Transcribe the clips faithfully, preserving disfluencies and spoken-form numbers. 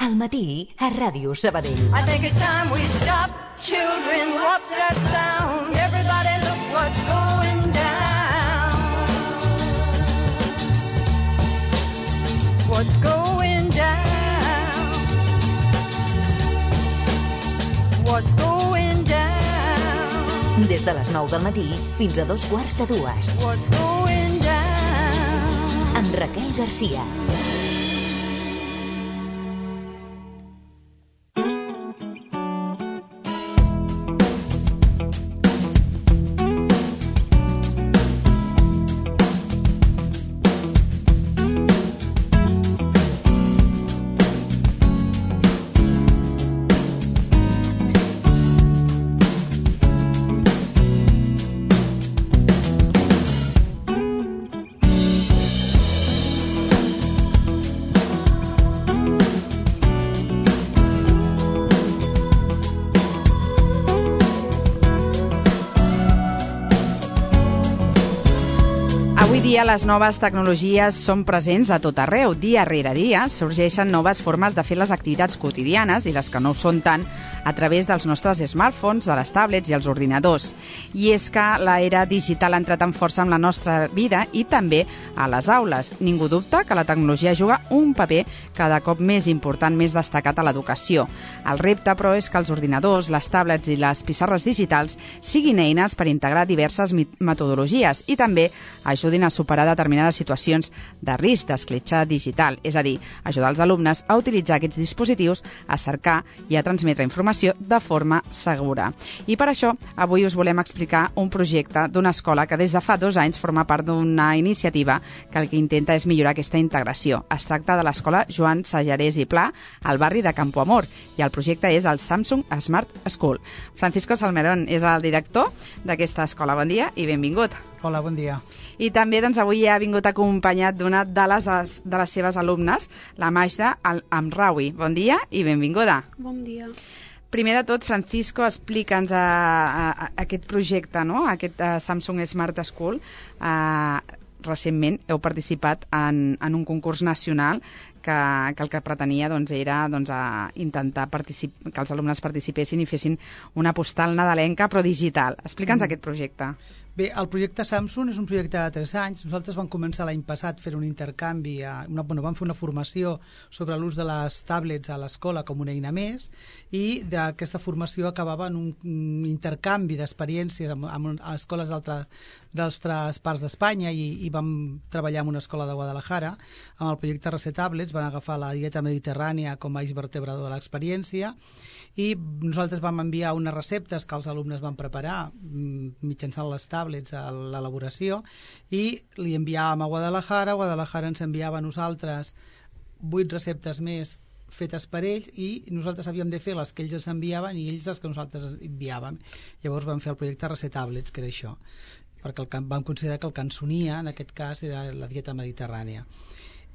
Al matí, a Ràdio Sabadell. I think it's time we stop. Children, what's that sound? Everybody look what's going down. What's going down? What's going down? Des de les nou del matí fins a dos quarts de dues. What's going down? Amb Raquel Garcia. Avui dia les noves tecnologies són presents a tot arreu. Dia rere dia sorgeixen noves formes de fer les activitats quotidianes i les que no ho són tant a través dels nostres smartphones, de les tablets i els ordinadors. I és que l'era digital ha entrat amb força en la nostra vida i també a les aules. Ningú dubta que la tecnologia juga un paper cada cop més important, més destacat a l'educació. El repte, però, és que els ordinadors, les tablets i les pissarres digitals siguin eines per integrar diverses metodologies i també ajudin a superar determinades situacions de risc d'escletxa digital, és a dir, ajudar els alumnes a utilitzar aquests dispositius, a cercar i a transmetre informació de forma segura. I per això, avui us volem explicar un projecte d'una escola que des de fa dos anys forma part d'una iniciativa que el que intenta és millorar aquesta integració. Es tracta de l'escola Joan Sajarés i Pla, al barri de Campo Amor, i el projecte és el Samsung Smart School. Francisco Salmerón és el director d'aquesta escola. Bon dia i benvingut. Hola, bon dia. I també doncs, avui ha vingut acompanyat d'una de les, de les seves alumnes, la Majda Amraoui. Bon dia i benvinguda. Bon dia. Primer de tot, Francisco, explica'ns a, a, a aquest projecte, no? Aquest a Samsung Smart School. Uh, recentment heu participat en, en un concurs nacional que, que el que pretenia doncs, era doncs, a intentar particip- que els alumnes participessin i fessin una postal nadalenca però digital. Explica'ns mm. aquest projecte. Bé, el projecte Samsung és un projecte de tres anys. Nosaltres vam començar l'any passat fent un intercanvi, a una, bueno, vam fer una formació sobre l'ús de les tablets a l'escola com una eina més i d'aquesta formació acabava en un, un intercanvi d'experiències amb, amb escoles d'altres parts d'Espanya i, i vam treballar en una escola de Guadalajara amb el projecte Recetablets. Van agafar la dieta mediterrània com a eix vertebrador de l'experiència i nosaltres vam enviar unes receptes que els alumnes van preparar mitjançant les tablets a l'elaboració i li enviàvem a Guadalajara. Guadalajara ens enviava a nosaltres vuit receptes més fetes per ells i nosaltres havíem de fer les que ells ens enviaven i ells les que nosaltres enviàvem. Llavors vam fer el projecte Recetablets, que era això, perquè el que vam considerar que el que ens unia en aquest cas era la dieta mediterrània.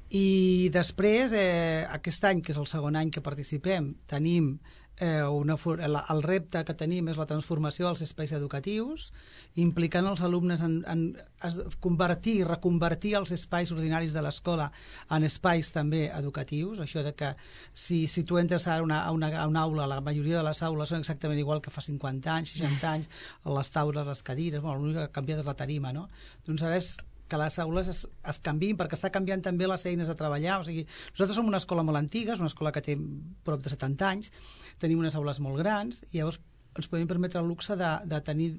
I després, eh, aquest any, que és el segon any que participem, tenim eh, una, el repte que tenim és la transformació dels espais educatius, implicant els alumnes en, en convertir i reconvertir els espais ordinaris de l'escola en espais també educatius. Això de que si, si tu entres ara a una, a, una, a una aula, la majoria de les aules són exactament igual que fa cinquanta anys, seixanta anys, les taules, les cadires, bueno, l'únic que ha canviat és la tarima, no? Doncs ara és que les aules es, es canviïn, perquè està canviant també les eines de treballar. O sigui, nosaltres som una escola molt antiga, és una escola que té prop de setanta anys, tenim unes aules molt grans, i llavors ens podem permetre el luxe de, de tenir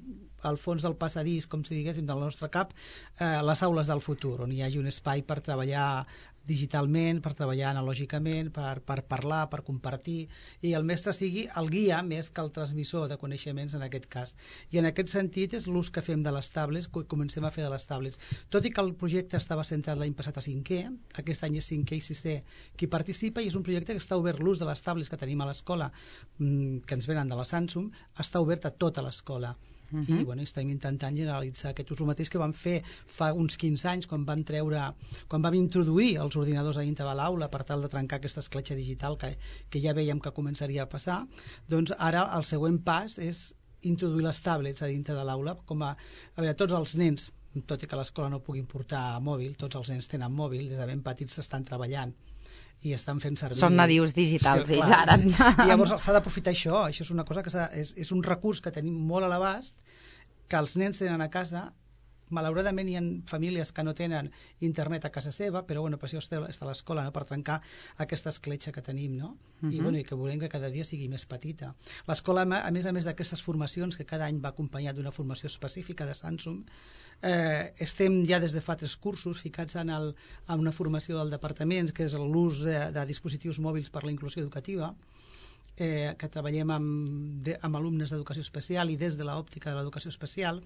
al fons del passadís, com si diguéssim, del nostre cap, eh, les aules del futur, on hi hagi un espai per treballar digitalment, per treballar analògicament, per, per parlar, per compartir, i el mestre sigui el guia més que el transmissor de coneixements en aquest cas. I en aquest sentit és l'ús que fem de les tablets, que comencem a fer de les tablets. Tot i que el projecte estava centrat l'any passat a cinquè, aquest any és cinquè i sisè qui participa, i és un projecte que està obert, l'ús de les tablets que tenim a l'escola, que ens venen de la Samsung, està obert a tota l'escola. Uh -huh. I bueno, estem intentant generalitzar aquest ús. El mateix que vam fer fa uns quinze anys quan vam treure, quan vam introduir els ordinadors a dintre de l'aula per tal de trencar aquesta escletxa digital que, que ja veiem que començaria a passar. Doncs ara el següent pas és introduir les tablets a dintre de l'aula, com a, a veure, tots els nens, tot i que l'escola no puguin portar mòbil, tots els nens tenen mòbil, des de ben petits s'estan treballant i estan fent servir... Són nadius digitals, sí, ells ara. I llavors s'ha d'aprofitar això, això és una cosa que és, és un recurs que tenim molt a l'abast, que els nens tenen a casa. Malauradament hi ha famílies que no tenen internet a casa seva, però bueno, per això està a l'escola, no? Per trencar aquesta escletxa que tenim, no? Uh-huh. I, bueno, i que volem que cada dia sigui més petita. L'escola, a més a més d'aquestes formacions, que cada any va acompanyat d'una formació específica de Samsung, eh, estem ja des de fa tres cursos ficats en, el, en una formació del departament, que és l'ús de, de dispositius mòbils per la inclusió educativa, eh, que treballem amb, de, amb alumnes d'educació especial i des de l'òptica de l'educació especial,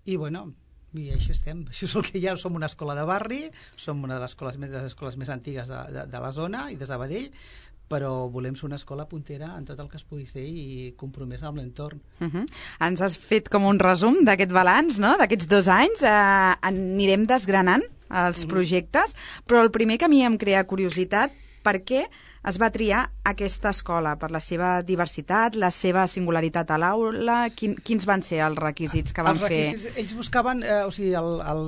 i bueno... i així estem, això és el que hi ha. Som una escola de barri, som una de les escoles més, de les escoles més antigues de, de, de la zona i de Sabadell, però volem ser una escola puntera en tot el que es pugui ser i compromesa amb l'entorn. Uh-huh. Ens has fet com un resum d'aquest balanç, no?, d'aquests dos anys. Uh, anirem desgranant els uh-huh. projectes, però el primer que a mi em crea curiositat, per què es va triar aquesta escola? Per la seva diversitat, la seva singularitat a l'aula? Quin, quins van ser els requisits que van els requisits, fer? Ells buscaven, eh, o sigui, el, el,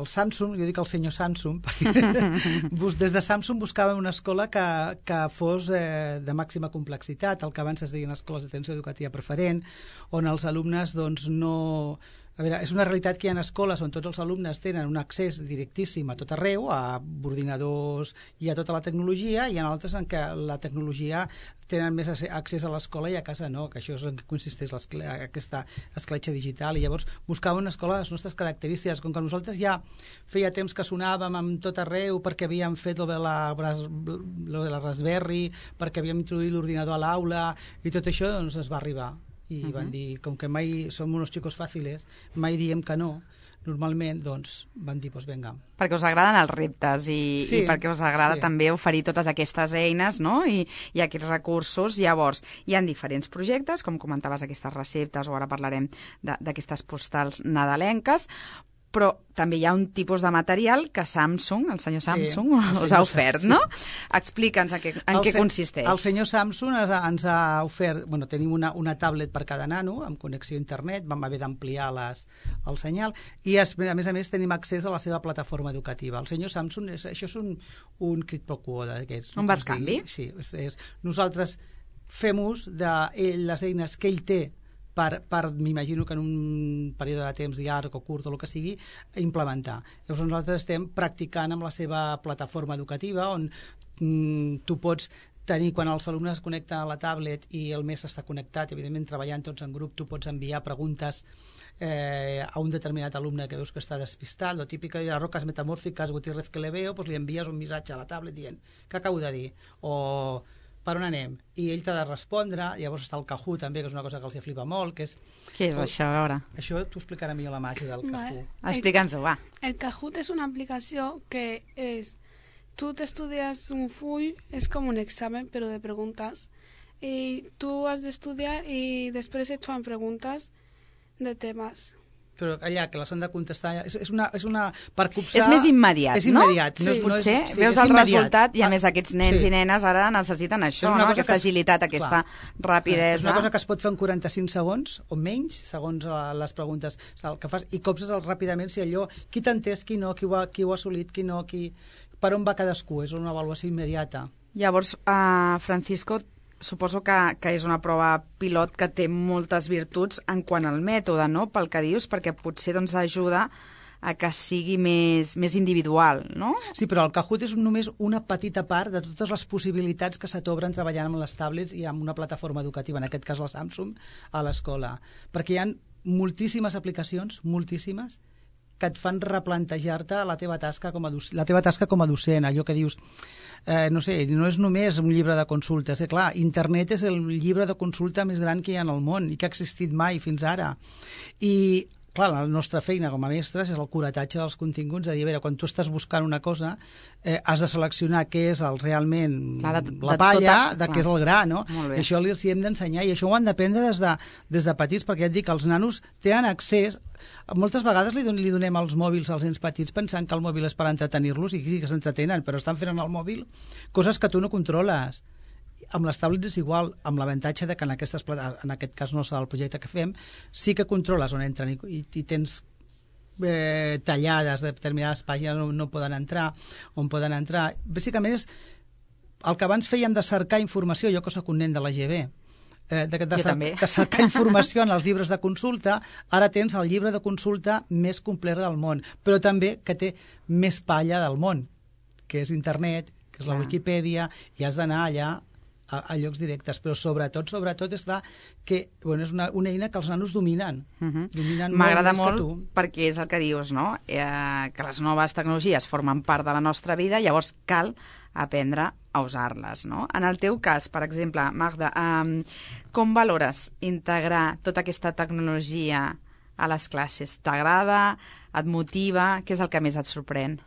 el Samsung, jo dic el senyor Samsung, perquè des de Samsung buscaven una escola que, que fos eh, de màxima complexitat, el que abans es deien escoles d'atenció educativa preferent, on els alumnes doncs, no... A veure, és una realitat que hi ha escoles on tots els alumnes tenen un accés directíssim a tot arreu, a ordinadors i a tota la tecnologia, i hi ha altres en què la tecnologia tenen més accés a l'escola i a casa no, que això és en què consisteix aquesta escletxa digital. I llavors buscàvem una escola de les nostres característiques, com que nosaltres ja feia temps que sonàvem amb tot arreu perquè havíem fet lo de la, lo de la Raspberry, perquè havíem introduït l'ordinador a l'aula i tot això, doncs es va arribar. I uh-huh. van dir, com que mai som uns xicos fàcils, mai diem que no, normalment, doncs, van dir, doncs vinga. Perquè us agraden els reptes i, sí, i perquè us agrada sí. també oferir totes aquestes eines, no?, i, i aquests recursos. Llavors, hi ha diferents projectes, com comentaves, aquestes receptes, o ara parlarem d'aquestes postals nadalenques, però també hi ha un tipus de material que Samsung, el senyor Samsung, sí, us ha ofert, sí. no? Explica'ns en què, en què consisteix. El senyor Samsung ens ha, ens ha ofert... Bueno, tenim una, una tablet per cada nano, amb connexió a internet, vam haver d'ampliar les, el senyal, i es, a més a més tenim accés a la seva plataforma educativa. El senyor Samsung, és, això és un, un quid pro quo d'aquests. Un bescanvi? Sí, és, és, nosaltres fem ús de ell, les eines que ell té per, per m'imagino que en un període de temps llarg o curt o el que sigui, implementar. Llavors nosaltres estem practicant amb la seva plataforma educativa on mm, tu pots tenir, quan els alumnes es connecten a la tablet i el mes està connectat, evidentment treballant tots en grup, tu pots enviar preguntes eh, a un determinat alumne que veus que està despistat, lo típic de les roques metamòrfiques, Gutiérrez que le veo, pues li envies un missatge a la tablet dient què acabo de dir, o per on anem? I ell t'ha de respondre. Llavors està el Kahoot també, que és una cosa que els flipa molt, que és... Què és això, a veure? Això t'ho explicarà millor la màgia del Kahoot. Vale. Explica'ns-ho, va. El Kahoot és una aplicació que és... Tu t'estudies un full, és com un examen, però de preguntes, i tu has d'estudiar i després et fan preguntes de temes. Però allà, que les han de contestar... És, és, una, és una... Per copsar... És més immediat, és immediat, no? no? Sí, potser no és, sí, veus és el immediat. resultat i a més aquests nens sí. i nenes ara necessiten això, no? Aquesta es, agilitat, aquesta clar, rapidesa. És una cosa que es pot fer en quaranta-cinc segons o menys, segons les preguntes que fas, i copses ràpidament si allò, qui t'ha entès, qui no, qui ho, ha, qui ho ha assolit, qui no, qui... per on va cadascú, és una avaluació immediata. Llavors, uh, Francisco, suposo que, que és una prova pilot que té moltes virtuts en quant al mètode, no?, pel que dius, perquè potser doncs, ajuda a que sigui més, més individual, no? Sí, però el Kahoot és només una petita part de totes les possibilitats que se t'obren treballant amb les tablets i amb una plataforma educativa, en aquest cas la Samsung, a l'escola. Perquè hi ha moltíssimes aplicacions, moltíssimes, que et fan replantejar-te la teva tasca com a docent, la teva tasca com a docent, allò que dius, eh, no sé, no és només un llibre de consultes, eh, clar, internet és el llibre de consulta més gran que hi ha en el món i que ha existit mai fins ara. I clar, la nostra feina com a mestres és el curatatge dels continguts, de dir, a veure, quan tu estàs buscant una cosa, eh, has de seleccionar què és el, realment clar, de, la de palla, tota, de què és el gra, no? I això els hi hem d'ensenyar, i això ho han d'aprendre des, de, des de petits, perquè ja et dic que els nanos tenen accés. Moltes vegades li, don, li donem els mòbils als nens petits pensant que el mòbil és per entretenir-los, i sí que s'entretenen, però estan fent en el mòbil coses que tu no controles. Amb les tablets és igual, amb l'avantatge de que en, aquestes, en aquest cas no és el projecte que fem, sí que controles on entren i, i tens eh, tallades de determinades pàgines on no poden entrar, on poden entrar. Bàsicament és el que abans fèiem de cercar informació, jo que sóc un nen de la G B, eh, de, de, Jo cer també. de cercar informació en els llibres de consulta, ara tens el llibre de consulta més complet del món, però també que té més palla del món, que és internet, que és la Clar. Wikipedia, i has d'anar allà a, a llocs directes, però sobretot, sobretot està que bueno, és una, una eina que els nanos dominen. Uh-huh. Dominen M'agrada molt, més molt que tu. perquè és el que dius, no? Eh, que les noves tecnologies formen part de la nostra vida, llavors cal aprendre a usar-les, no? En el teu cas, per exemple, Magda, eh, com valores integrar tota aquesta tecnologia a les classes? T'agrada? Et motiva? Què és el que més et sorprèn?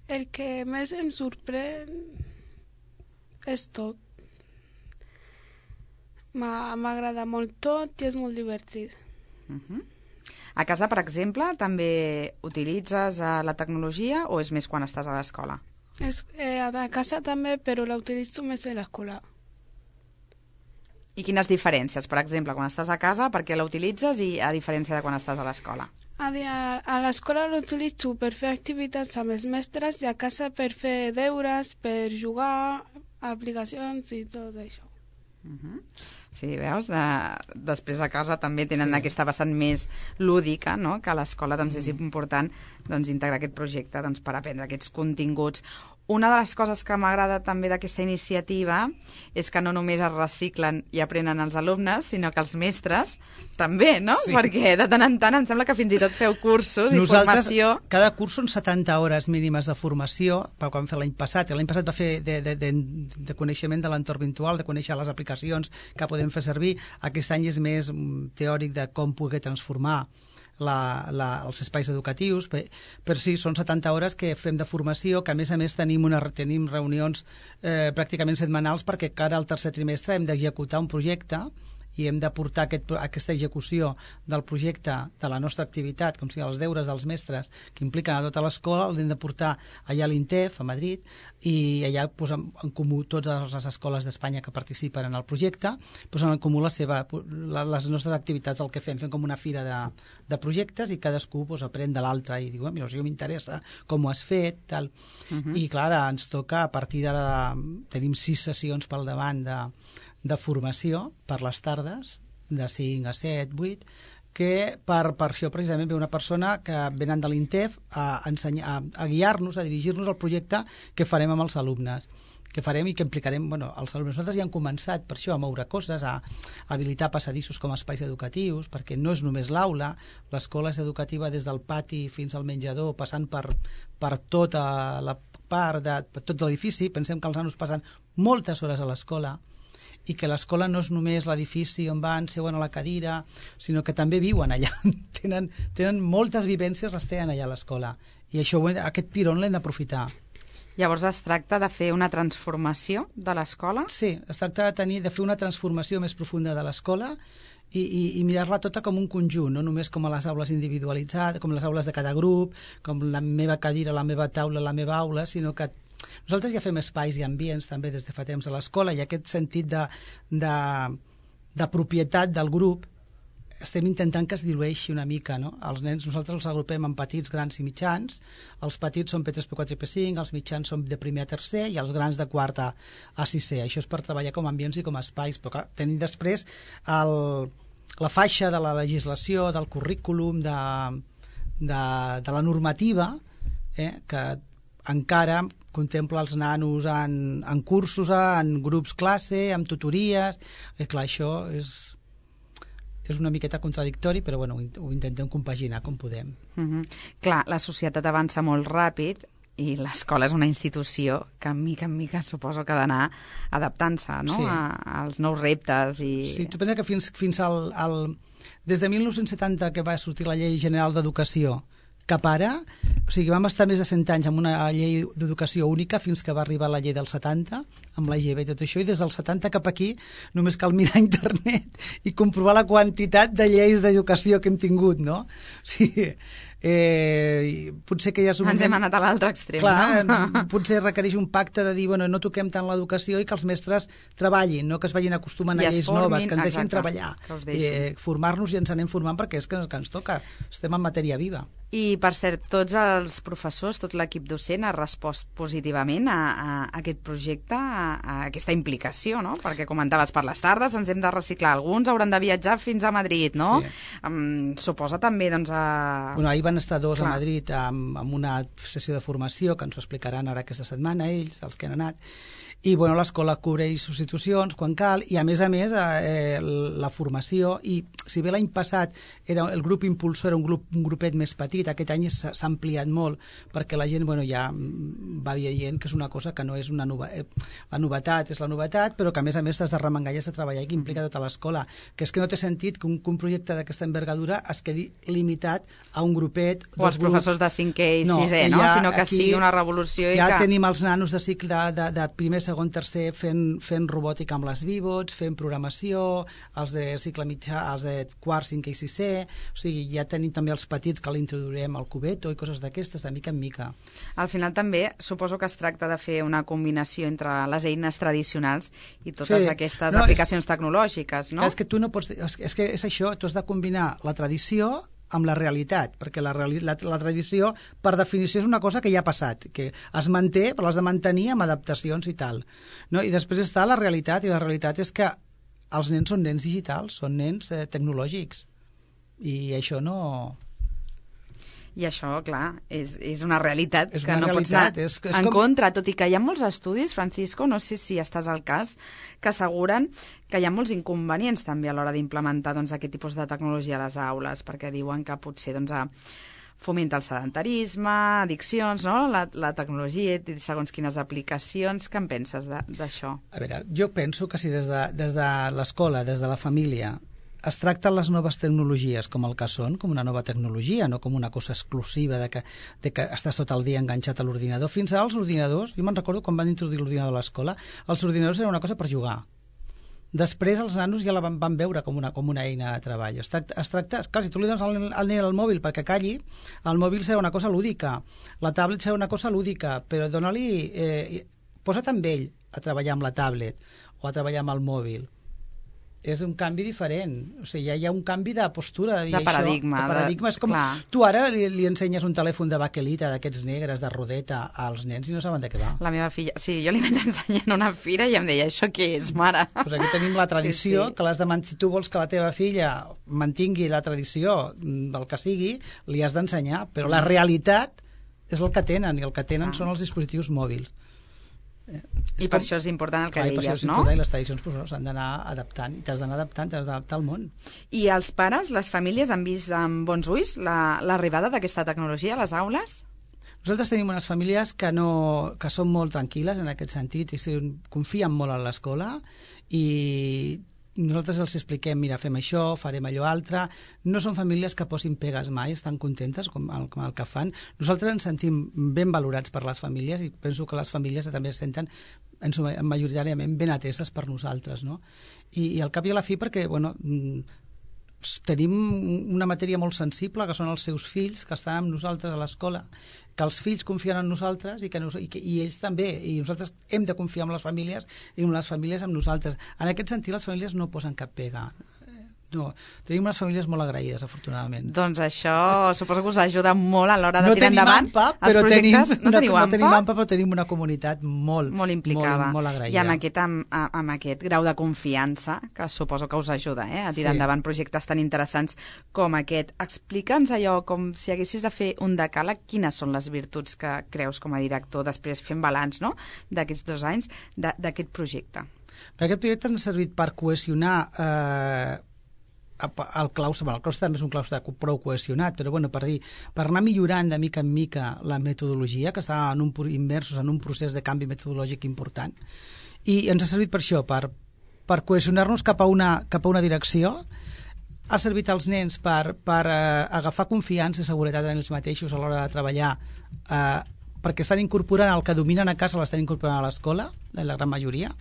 El que més em sorprèn és tot. M'agrada molt tot i és molt divertit. Uh-huh. A casa, per exemple, també utilitzes eh, la tecnologia o és més quan estàs a l'escola? És, eh, a casa també, però la utilitzo més a l'escola. I quines diferències, per exemple, quan estàs a casa, per què la utilitzes i a diferència de quan estàs a l'escola? A, a l'escola l'utilitzo per fer activitats amb els mestres i a casa per fer deures, per jugar, aplicacions i tot això. Uh-huh. Sí, veus? Uh, després a casa també tenen sí. aquesta vessant més lúdica, no? Que a l'escola doncs, és important doncs, integrar aquest projecte doncs, per aprendre aquests continguts. Una de les coses que m'agrada també d'aquesta iniciativa és que no només es reciclen i aprenen els alumnes, sinó que els mestres també, no? Sí. Perquè de tant en tant em sembla que fins i tot feu cursos i Nosaltres, formació. cada curs són setanta hores mínimes de formació, que vam fer l'any passat. L'any passat va fer de, de, de, de coneixement de l'entorn virtual, de conèixer les aplicacions que podem fer servir. Aquest any és més teòric de com poder transformar La, la, els espais educatius, però, però sí, són setanta hores que fem de formació, que a més a més tenim, una, tenim reunions eh, pràcticament setmanals perquè cara al tercer trimestre hem d'executar un projecte i hem de portar aquest, aquesta execució del projecte de la nostra activitat, com sigui els deures dels mestres que impliquen a tota l'escola, els hem de portar allà a l'INTEF, a Madrid, i allà posem en comú totes les escoles d'Espanya que participen en el projecte, posen en comú la seva, la, les nostres activitats, el que fem, fem com una fira de, de projectes i cadascú pues, aprèn de l'altre i diu, mira, si m'interessa com ho has fet, tal. Uh-huh. I clar, ens toca, a partir d'ara, tenim sis sessions pel davant de de formació per les tardes, de cinc a set, vuit, que per, per això precisament ve una persona que venen de l'INTEF a, ensenyar, a, a guiar-nos, a dirigir-nos al projecte que farem amb els alumnes, que farem i que implicarem bueno, els alumnes. Nosaltres ja hem començat per això a moure coses, a, a habilitar passadissos com a espais educatius, perquè no és només l'aula, l'escola és educativa des del pati fins al menjador, passant per, per tota la part de per tot l'edifici. Pensem que els nanos passen moltes hores a l'escola, i que l'escola no és només l'edifici on van, seuen a la cadira, sinó que també viuen allà. tenen, tenen moltes vivències, les tenen allà a l'escola. I això, aquest tirón l'hem d'aprofitar. Llavors es tracta de fer una transformació de l'escola? Sí, es tracta de, tenir, de fer una transformació més profunda de l'escola i, i, i mirar-la tota com un conjunt, no només com a les aules individualitzades, com les aules de cada grup, com la meva cadira, la meva taula, la meva aula, sinó que nosaltres ja fem espais i ambients també des de fa temps a l'escola i aquest sentit de, de, de propietat del grup estem intentant que es dilueixi una mica, no? Els nens nosaltres els agrupem en petits, grans i mitjans. Els petits són P tres, P quatre i P cinc, els mitjans són de primer a tercer i els grans de quart a, a sisè. Això és per treballar com a ambients i com a espais, però clar, tenim després el, la faixa de la legislació, del currículum, de, de, de la normativa, eh, que encara contempla els nanos en, en cursos, en grups classe, en tutories, i clar, això és, és una miqueta contradictori, però bueno, ho intentem compaginar com podem. Mm-hmm. Clar, la societat avança molt ràpid i l'escola és una institució que en mica en mica suposo que ha d'anar adaptant-se, no? Sí. A, als nous reptes. I... Sí, tu pensa que fins, fins al, al... des de mil nou-cents setanta que va sortir la Llei General d'Educació cap ara, o sigui, vam estar més de cent anys amb una llei d'educació única fins que va arribar la llei del setanta, amb la G B i tot això, i des del setanta cap aquí només cal mirar internet i comprovar la quantitat de lleis d'educació que hem tingut, no? O sigui, Eh, potser que ja és un Ens moment... hem anat a l'altre extrem, Clar, no? potser requereix un pacte de dir, bueno, no toquem tant l'educació i que els mestres treballin, no que es vagin acostumant I a es lleis formin, noves, que ens deixin exacte, treballar. que us deixin. Eh, formar-nos i ens anem formant perquè és que, que ens toca. Estem en matèria viva. I, per cert, tots els professors, tot l'equip docent ha respost positivament a, a, a aquest projecte, a, a aquesta implicació, no? Perquè comentaves, per les tardes ens hem de reciclar, alguns hauran de viatjar fins a Madrid, no? Sí. Um, suposa també, doncs, a... Bueno, ahir van estar dos Clar. a Madrid amb, amb una sessió de formació que ens ho explicaran ara aquesta setmana, ells, els que han anat, i bueno, l'escola cobreix substitucions quan cal, i a més a més eh, la formació, i si bé l'any passat era, el grup impulsor era un, grup, un grupet més petit, aquest any s'ha ampliat molt perquè la gent bueno, ja va veient que és una cosa que no és una nova, eh, la novetat és la novetat, però que a més a més t'has de remengar i has de treballar i que implica tota l'escola, que és que no té sentit que un, que un projecte d'aquesta envergadura es quedi limitat a un grupet, o els professors de cinquè i no, sisè, no? Ja, Sinó que sigui una revolució i ja que... tenim els nanos de cicle de, de, de primer, segon, tercer fent, fent robòtica amb les Vivots, fent programació, els de cicle mitjà, els de quart, cinquè i sisè, o sigui, ja tenim també els petits que l'introduirem al cubeto i coses d'aquestes, de mica en mica. Al final també suposo que es tracta de fer una combinació entre les eines tradicionals i totes Sí. aquestes No, aplicacions tecnològiques, no? És que tu no pots... És, és que és això, tu has de combinar la tradició amb la realitat, perquè la, reali la, la tradició, per definició, és una cosa que ja ha passat, que es manté, però l'has de mantenir amb adaptacions i tal. No? I després està la realitat, i la realitat és que els nens són nens digitals, són nens eh, tecnològics, i això no... I això, clar, és, és una realitat És que una no pots realitat, anar és- és en com- contra, tot i que hi ha molts estudis, Francisco, no sé si estàs al cas, que asseguren que hi ha molts inconvenients també a l'hora d'implementar doncs, aquest tipus de tecnologia a les aules, perquè diuen que potser doncs, a, fomenta el sedentarisme, addiccions, no? la, la tecnologia, segons quines aplicacions. Què en penses d'això? A veure, jo penso que si des de, des de l'escola, des de la família, es tracten les noves tecnologies com el que són, com una nova tecnologia, no com una cosa exclusiva de que, de que estàs tot el dia enganxat a l'ordinador. Fins ara els ordinadors, jo me'n recordo quan van introduir l'ordinador a l'escola, els ordinadors eren una cosa per jugar. Després els nanos ja la van, van veure com una, com una eina de treball. Es tracta, es tracta clar, si tu li dones al, al nen el mòbil perquè calli, el mòbil serà una cosa lúdica, la tablet serà una cosa lúdica, però dona-li... Eh, posa't amb ell a treballar amb la tablet o a treballar amb el mòbil. És un canvi diferent, o sigui, ja hi ha un canvi de postura, de, dir De paradigma, això, de paradigma. de- És com, clar. tu ara li, li ensenyes un telèfon de baquelita d'aquests negres, de rodeta, als nens i no saben de què va. La meva filla... Sí, jo li vaig ensenyar en una fira i em deia, això què és, mare? Pues aquí tenim la tradició, Sí, sí. que l'has de man- si tu vols que la teva filla mantingui la tradició mm, del que sigui, li has d'ensenyar, però la realitat és el que tenen, i el que tenen Ah. són els dispositius mòbils. Eh, és I per com- això és important el que Clar, i per això deies, és no? important, i les tradicions pues, s'han d'anar adaptant, i t'has d'anar adaptant, t'has d'adaptar al món. I els pares, les famílies, han vist amb bons ulls la- l'arribada d'aquesta tecnologia a les aules? Nosaltres tenim unes famílies que, no, que són molt tranquil·les en aquest sentit i sí, confien molt en l'escola i nosaltres els expliquem, mira, fem això, farem allò altre. No són famílies que posin pegues mai, estan contentes com el, com el que fan. Nosaltres ens sentim ben valorats per les famílies i penso que les famílies també es senten en su- majoritàriament ben ateses per nosaltres, no? I, i al cap i a la fi perquè, bueno, mm, tenim una matèria molt sensible, que són els seus fills, que estan amb nosaltres a l'escola, que els fills confien en nosaltres i, que nos, i, que, i ells també, i nosaltres hem de confiar en les famílies i en les famílies amb nosaltres. En aquest sentit, les famílies no posen cap pega. No, tenim unes famílies molt agraïdes, afortunadament. Doncs això suposo que us ajuda molt a l'hora de No tirar tenim endavant AMPA, els però tenim, projectes. No una, teniu no AMPA? tenim AMPA, però tenim una comunitat molt, Molt implicada. molt, molt agraïda. I amb aquest, amb, amb aquest grau de confiança, que suposo que us ajuda eh, a tirar Sí. endavant projectes tan interessants com aquest. Explica'ns allò, com si haguessis de fer un decàleg, quines són les virtuts que creus com a director, després fent balanç no? d'aquests dos anys, d'aquest projecte. Per aquest projecte ens ha servit per cohesionar eh, el claustre, bueno, el claustre també és un claustre prou cohesionat, però bueno, per dir, per anar millorant de mica en mica la metodologia, que està en un, immersos en un procés de canvi metodològic important, i ens ha servit per això, per, per cohesionar-nos cap a una, cap a una direcció. Ha servit als nens per, per eh, agafar confiança i seguretat en ells mateixos a l'hora de treballar, eh, perquè estan incorporant el que dominen a casa, l'estan incorporant a l'escola, en la gran majoria.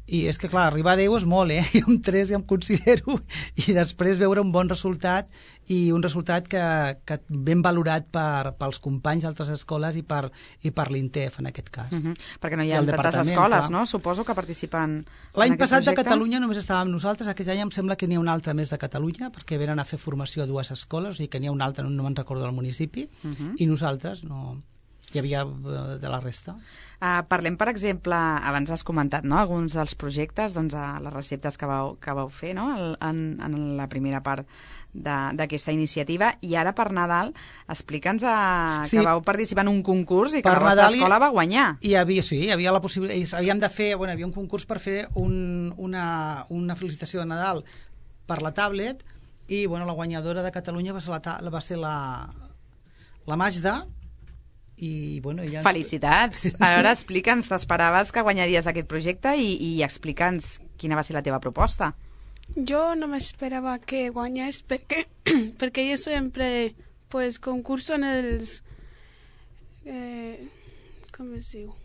I és que, clar, arribar a deu és molt, eh? Jo amb tres ja em considero, i després veure un bon resultat, i un resultat que, que ben valorat per, pels companys d'altres escoles i per, i per l'INTEF, en aquest cas. Uh -huh. Perquè no hi ha tantes escoles, clar. no? Suposo que participen L'any en aquest passat projecte. de Catalunya només estàvem nosaltres, aquest any em sembla que n'hi ha una altra més de Catalunya, perquè venen a fer formació a dues escoles, o sigui que n'hi ha una altra, no, no me'n recordo del municipi, uh -huh. i nosaltres no... hi havia de la resta. Uh, parlem, per exemple, abans has comentat, no?, alguns dels projectes, doncs, uh, les receptes que vau, que vau fer, no?, el, en, en la primera part d'aquesta iniciativa, i ara per Nadal explica'ns uh, sí. que vau participar en un concurs i que per la vostra Nadal escola va guanyar. Hi havia, sí, hi havia la possibilitat, havíem de fer, bueno, hi havia un concurs per fer un, una, una felicitació de Nadal per la tablet, i bueno, la guanyadora de Catalunya va ser la, va ser la, la Magda. I, bueno, ja... Felicitats! A veure, explica'ns, t'esperaves que guanyaries aquest projecte i, i explica'ns quina va ser la teva proposta. Jo no m'esperava que guanyés perquè, perquè jo sempre pues, concurso en els... Eh, com es diu?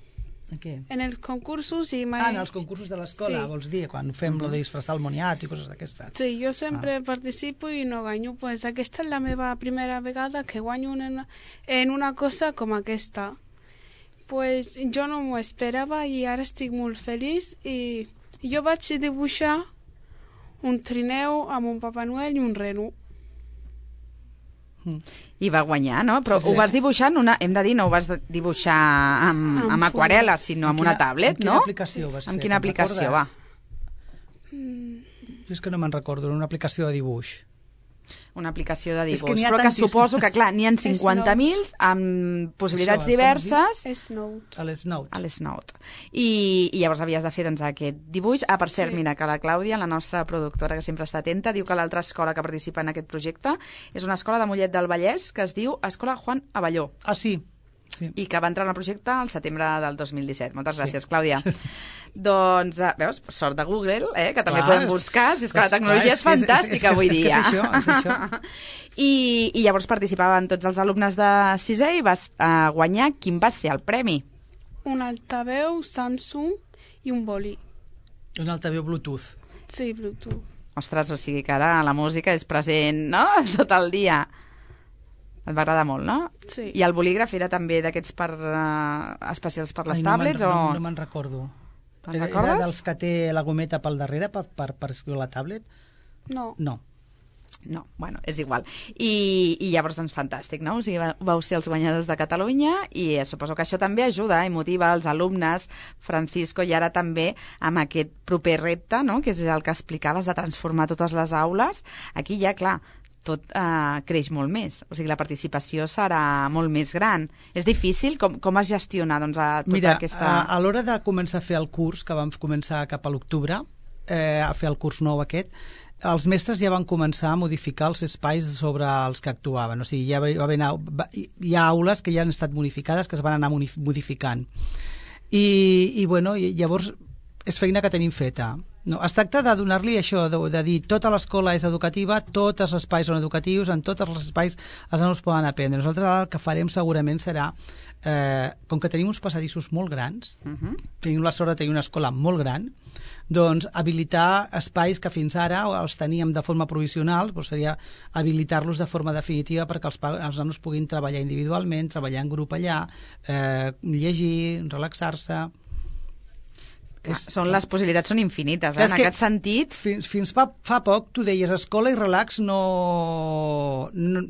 En què? En els concursos i mai... Ah, en els concursos de l'escola, sí. vols dir? Quan fem lo de disfressar el moniat i coses d'aquestes. Sí, jo sempre ah. participo i no guanyo. Pues aquesta és la meva primera vegada que guanyo en una, en una cosa com aquesta. Pues jo no m'ho esperava i ara estic molt feliç i jo vaig dibuixar un trineu amb un Papa Noel i un reno. I va guanyar, no? Però sí, sí. Ho vas dibuixar en una... Hem de dir, no ho vas dibuixar amb, amb, amb aquarel·la, sinó amb, amb quina, una tablet, amb no? Amb quina aplicació vas fer? Amb quina aplicació, va? Mm. Jo és que no me'n recordo, una aplicació de dibuix. Una aplicació de dibuix, que però que suposo que, clar, n'hi ha cinquanta mil amb possibilitats Això, diverses. Snout. A l'Snout. A l'Snout. I, I llavors havies de fer doncs, aquest dibuix. Ah, per cert, sí. Mira, que la Clàudia, la nostra productora, que sempre està atenta, diu que l'altra escola que participa en aquest projecte és una escola de Mollet del Vallès que es diu Escola Juan Abelló. Ah, sí. Sí. I que va entrar en el projecte al setembre del dos mil disset. Moltes gràcies, sí. Clàudia. Doncs, uh, veus, sort de Google, eh, que també clar, podem buscar, si és que la tecnologia és, és fantàstica és, és, és, avui dia. És, és, és, és això, és això. I, I llavors participaven tots els alumnes de sisè i vas uh, guanyar. Quin va ser el premi? Un altaveu Samsung i un boli. Un altaveu Bluetooth. Sí, Bluetooth. Ostres, o sigui que ara la música és present, no?, tot el dia. Et va agradar molt, no? Sí. I el bolígraf era també d'aquests per, uh, especials per les Ai, tablets? No o... no me'n recordo. Te'n Era, recordes? era dels que té la gometa pel darrere per, per, per escriure la tablet? No. No. No, bueno, és igual. I, i llavors, doncs, fantàstic, no? O sigui, vau ser els guanyadors de Catalunya i suposo que això també ajuda i motiva els alumnes, Francisco, i ara també amb aquest proper repte, no?, que és el que explicaves, de transformar totes les aules. Aquí ja, clar, tot eh, creix molt més. O sigui, la participació serà molt més gran. És difícil? Com, com es gestiona doncs, a tota Mira, aquesta... a, a l'hora de començar a fer el curs, que vam començar cap a l'octubre, eh, a fer el curs nou aquest, els mestres ja van començar a modificar els espais sobre els que actuaven. O sigui, ja va, va anar, va, hi ha aules que ja han estat modificades, que es van anar modificant. I, i bueno, i, llavors és feina que tenim feta. No, es tracta de donar-li això, de, de dir tota l'escola és educativa, tots els espais són educatius, en tots els espais els nanos poden aprendre. Nosaltres ara el que farem segurament serà, eh, com que tenim uns passadissos molt grans, uh -huh. tenim la sort de tenir una escola molt gran, doncs habilitar espais que fins ara els teníem de forma provisional, doncs seria habilitar-los de forma definitiva perquè els, els nanos puguin treballar individualment, treballar en grup allà, eh, llegir, relaxar-se... És, són, les possibilitats són infinites, eh? En aquest sentit... Fins, fins fa, fa poc tu deies escola i relax no, no,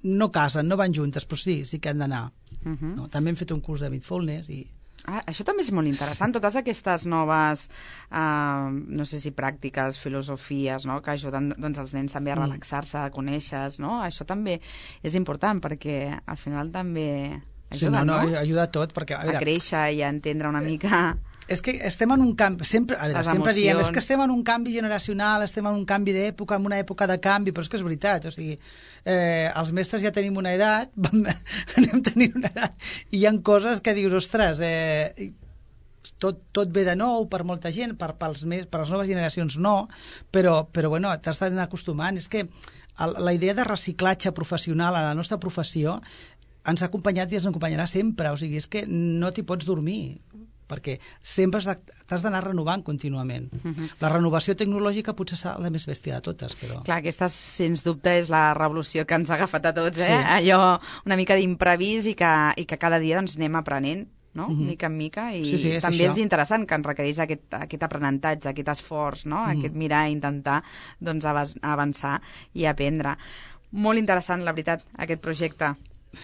no casen, no van juntes, però sí, sí que han d'anar. Uh -huh. No, també hem fet un curs de mindfulness i... Ah, això també és molt interessant, totes aquestes noves, eh, no sé si pràctiques, filosofies, no?, que ajuden doncs, els nens també a relaxar-se, a conèixer, no? Això també és important perquè al final també ajuda, sí, no, no? no? Ajuda a tot, perquè... A, veure, a créixer i a entendre una mica... És que estem en un canvi, sempre, a veure, sempre diem, és que estem en un canvi generacional, estem en un canvi d'època, en una època de canvi, però és que és veritat, o sigui, eh, els mestres ja tenim una edat, anem tenint una edat, i hi ha coses que dius, ostres, eh, tot, tot ve de nou per molta gent, per, pels més, per les noves generacions no, però, però bueno, t'has d'anar acostumant. És que el, la idea de reciclatge professional a la nostra professió ens ha acompanyat i ens acompanyarà sempre, o sigui, és que no t'hi pots dormir, perquè sempre has de- t'has d'anar renovant contínuament. Mhm. La renovació tecnològica potser serà la més bèstia de totes, però... Clar, aquesta, sens dubte, és la revolució que ens ha agafat a tots, eh? Sí. Allò una mica d'imprevist i, que, i que cada dia doncs, anem aprenent, no? Mhm. Mica en mica, i Sí, sí, és també això. és interessant que ens requereix aquest, aquest aprenentatge, aquest esforç, no? Mhm. Aquest mirar i intentar doncs, avas- avançar i aprendre. Molt interessant, la veritat, aquest projecte.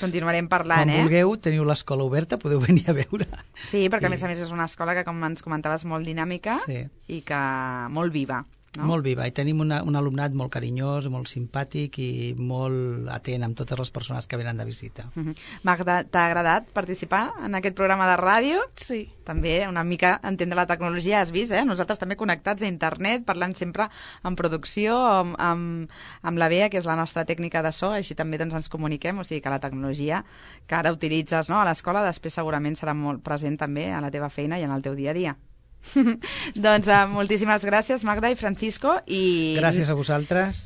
Continuarem parlant, Quan eh? vulgueu, teniu l'escola oberta, podeu venir a veure. Sí, perquè a I- més a més és una escola que, com ens comentaves, molt dinàmica Sí. i que molt viva. No? Molt viva, i tenim una, un alumnat molt carinyós, molt simpàtic i molt atent amb totes les persones que venen de visita. Mhm. Magda, t'ha agradat participar en aquest programa de ràdio? Sí. També una mica entendre la tecnologia, has vist, eh? Nosaltres també connectats a internet, parlant sempre en producció, amb, amb, amb la Bea, que és la nostra tècnica de so, així també doncs, ens comuniquem, o sigui que la tecnologia que ara utilitzes, no?, a l'escola, després segurament serà molt present també a la teva feina i en el teu dia a dia. Doncs uh, moltíssimes gràcies, Magda i Francisco. I... Gràcies a vosaltres.